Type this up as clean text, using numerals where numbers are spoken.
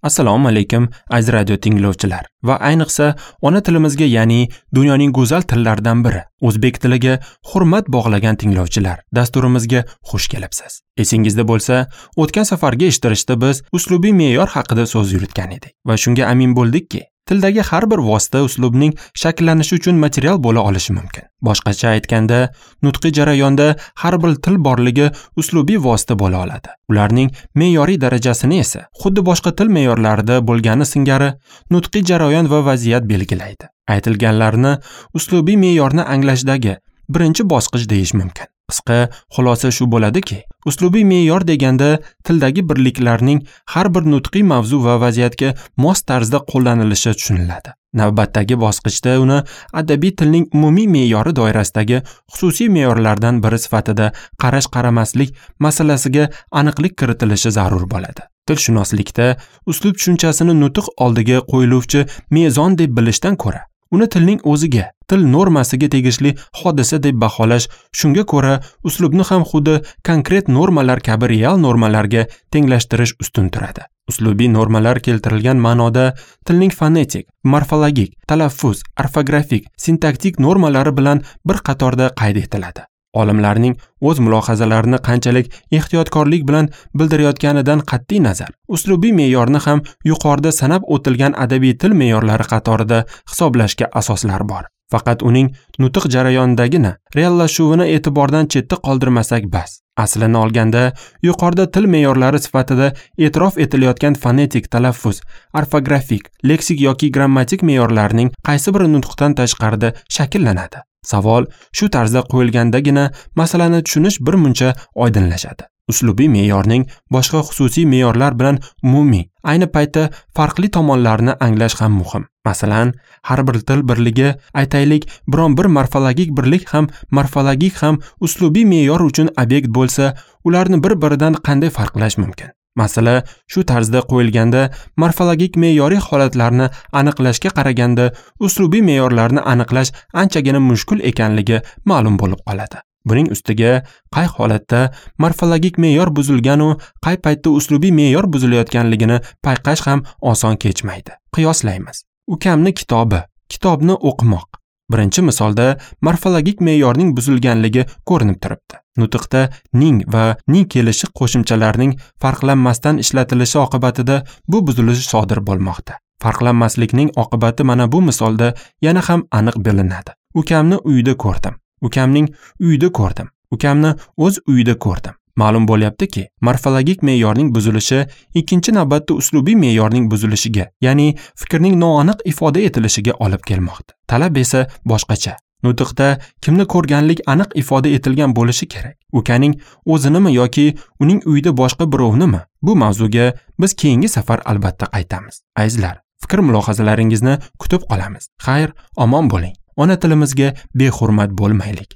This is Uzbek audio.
Assalomu alaykum aziz radio tinglovchilar va ayniqsa ona tilimizga, ya'ni dunyoning go'zal tillaridan biri o'zbek tiliga hurmat bog'lagan tinglovchilar, dasturimizga xush kelibsiz. Esingizda bo'lsa, o'tgan safargi eshittirishda biz uslubiy me'yor haqida so'z yuritgan edik va shunga amin bo'ldikki, tildagi har bir vosita uslubning shakllanishi uchun material bo'la olishi mumkin. Boshqacha aytganda, nutqiy jarayonda har bir til borligi uslubiy vosita bo'la oladi. Ularning me'yoriy darajasini esa xuddi boshqa til me'yorlarida bo'lgani singari nutqiy jarayon va vaziyat belgilaydi. Aytilganlarni uslubiy me'yorni anglashdagi birinchi bosqich deyish mumkin. Qisqa xulosa shu bo'ladiki, uslubiy me'yor deganda tildagi birliklarning har bir nutqiy mavzu va vaziyatga mos tarzda qo'llanilishi tushuniladi. Navbatdagi bosqichda uni adabiy tilning umumiy me'yori doirasidagi xususiy me'yorlardan biri sifatida qarash-qaramaslik masalasiga aniqlik kiritilishi zarur bo'ladi. Tilshunoslikda uslub tushunchasini nutq oldiga qo'yiluvchi mezon deb bilishdan ko'ra, uni tilning o'ziga, til normasiga tegishli hodisa deb baholash, shunga ko'ra uslubni ham xuddi konkret normalar kabi real normalarga tenglashtirish ustun turadi. Uslubiy normalar keltirilgan ma'noda tilning fonetik, morfologik, talaffuz, orfografik, sintaktik normalari bilan bir qatorda qayd etiladi. Olimlarning o'z mulohazalarini qanchalik ehtiyotkorlik bilan bildirayotganidan qat'iy nazar, uslubiy me'yorni ham yuqorida sanab o'tilgan adabiy til me'yorlari qatorida hisoblashga asoslar bor. Faqat uning nutq jarayonidagina reallashuvini e'tibordan chetda qoldirmasak bas. Aslini olganda, yuqorida til me'yorlari sifatida e'tirof etilayotgan fonetik, talaffuz, orfografik, leksik yoki grammatik me'yorlarning qaysi biri nutqdan tashqarida shakllanadi? Savol shu tarzda qo'yilgandagina masalani tushunish bir muncha oydinlashadi. Uslubiy me'yorning boshqa xususiy me'yorlar bilan umumiy, ayni paytda farqli tomonlarini anglash ham muhim. Masalan, har bir til birligi, aytaylik, biron bir morfologik birlik ham morfologik ham uslubiy me'yor uchun obyekt bo'lsa, ularni bir-biridan qanday farqlash mumkin? Masala shu tarzda qo'yilganda morfologik me'yoriy holatlarni aniqlashga qaraganda uslubiy me'yorlarni aniqlash anchagina mushkul ekanligi ma'lum bo'lib qoladi. Buning ustiga qay holatda morfologik me'yor buzilgan u qay paytda uslubiy me'yor buzilayotganligini payqash ham oson kechmaydi. Qiyoslaymiz. Ukamni kitobi, kitobni o'qimoq. Birinchi misolda morfologik me'yorning buzilganligi ko'rinib turibdi. Nutqda ning va ning kelishi qo'shimchalarining farqlanmasdan ishlatilishi oqibatida bu buzilish sodir bo'lmoqda. Farqlanmaslikning oqibati mana bu misolda yana ham aniq bilinadi. Ukamni uyida ko'rdim. Ukamning uyida ko'rdim. Ukamni o'z uyida ko'rdim. Ma'lum bo'lyaptiki, morfologik me'yorning buzilishi ikkinchi navbatda uslubiy me'yorning buzilishiga, ya'ni fikrning noaniq ifoda etilishiga olib kelmoqda. Talab esa boshqacha. Nutqda kimni ko'rganlik aniq ifoda etilgan bo'lishi kerak. Ukaning o'zinimi yoki uning uyida boshqa birovnimi? Bu mavzuga biz keyingi safar albatta qaytamiz. Azizlar, fikr mulohazalaringizni kutib qolamiz. Xayr, omon bo'ling. Ona tilimizga behurmat bo'lmaylik.